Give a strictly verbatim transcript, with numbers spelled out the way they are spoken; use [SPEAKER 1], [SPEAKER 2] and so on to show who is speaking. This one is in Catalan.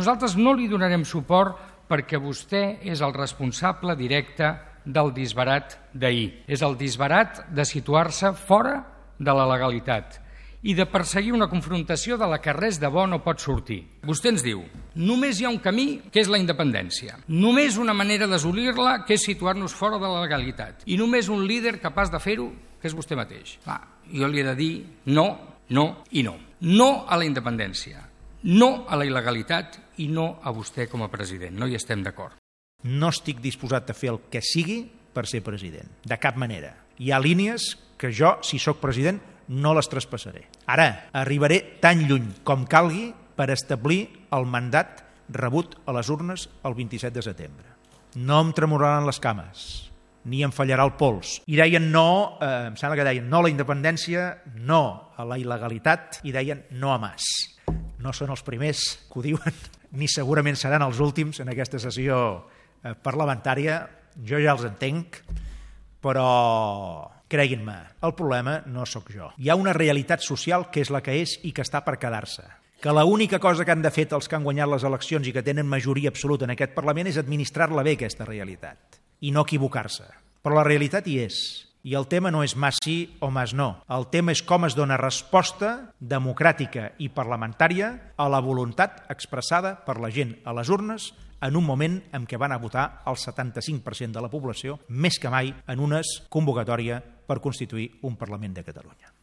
[SPEAKER 1] Nosaltres no li donarem suport perquè vostè és el responsable directe del disbarat d'ahir. És el disbarat de situar-se fora de la legalitat i de perseguir una confrontació de la que res de bo no pot sortir. Vostè ens diu, només hi ha un camí, que és la independència. Només una manera d'assolir-la, que és situar-nos fora de la legalitat. I només un líder capaç de fer-ho, que és vostè mateix. Clar, jo li he de dir no, no i no. No a la independència, no a la il·legalitat i no a vostè com a president. No hi estem d'acord.
[SPEAKER 2] No estic disposat a fer el que sigui per ser president, de cap manera. Hi ha línies que jo, si sóc president, no les traspassaré. Ara, arribaré tan lluny com calgui per establir el mandat rebut a les urnes el vint-i-set de setembre. No em tremoraran les cames, ni em fallarà el pols. I deien no, eh, em sembla que deien no a la independència, no a la il·legalitat i deien no a Mas. No són els primers que ho diuen, ni segurament seran els últims en aquesta sessió eh, parlamentària. Jo ja els entenc, però creguin-me, el problema no sóc jo. Hi ha una realitat social que és la que és i que està per quedar-se. Que l'única cosa que han de fer els que han guanyat les eleccions i que tenen majoria absoluta en aquest Parlament és administrar-la bé, aquesta realitat, i no equivocar-se. Però la realitat hi és. I el tema no és Mas sí o Mas no. El tema és com es dona resposta democràtica i parlamentària a la voluntat expressada per la gent a les urnes en un moment en què van a votar el setanta-cinc per cent de la població, més que mai en una convocatòria per constituir un Parlament de Catalunya.